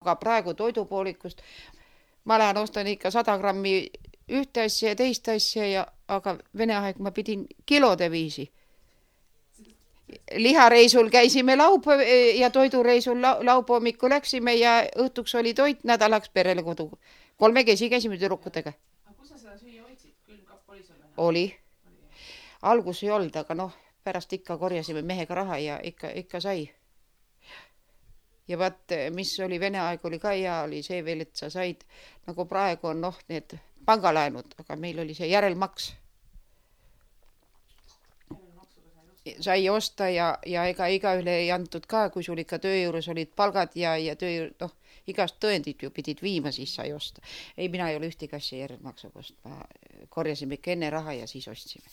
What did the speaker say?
Aga praegu toidupoolikust ma lähen ostan ikka 100 grammi ühte asja ja teist asja, aga Vene aeg ma pidin kilode viisi. Lihareisul käisime ja toidureisul laupäeval läksime ja õhtuks oli toit nädalaks perele kodu. 3 käisime tüdrukutega. Aga kus sa seda süüa hoidsid? Külmkapp oli sul Vene? Oli. Algus ei olnud, aga pärast ikka korjasime mehega raha ja ikka sai. Ja vaat, mis oli Vene aeg oli ka hea, oli see veel, et sa said, nagu praegu on need pangalaenud, aga meil oli see järelmaks. Sai osta ja ega igaüle ei antud ka, kui sul ikka töö juures olid palgad ja igast tõendid ju pidid viima, siis sai osta. Ei, mina ei ole ühtegi asja järelmaksuga ostma. Korjasime ikka enne raha ja siis ostsime.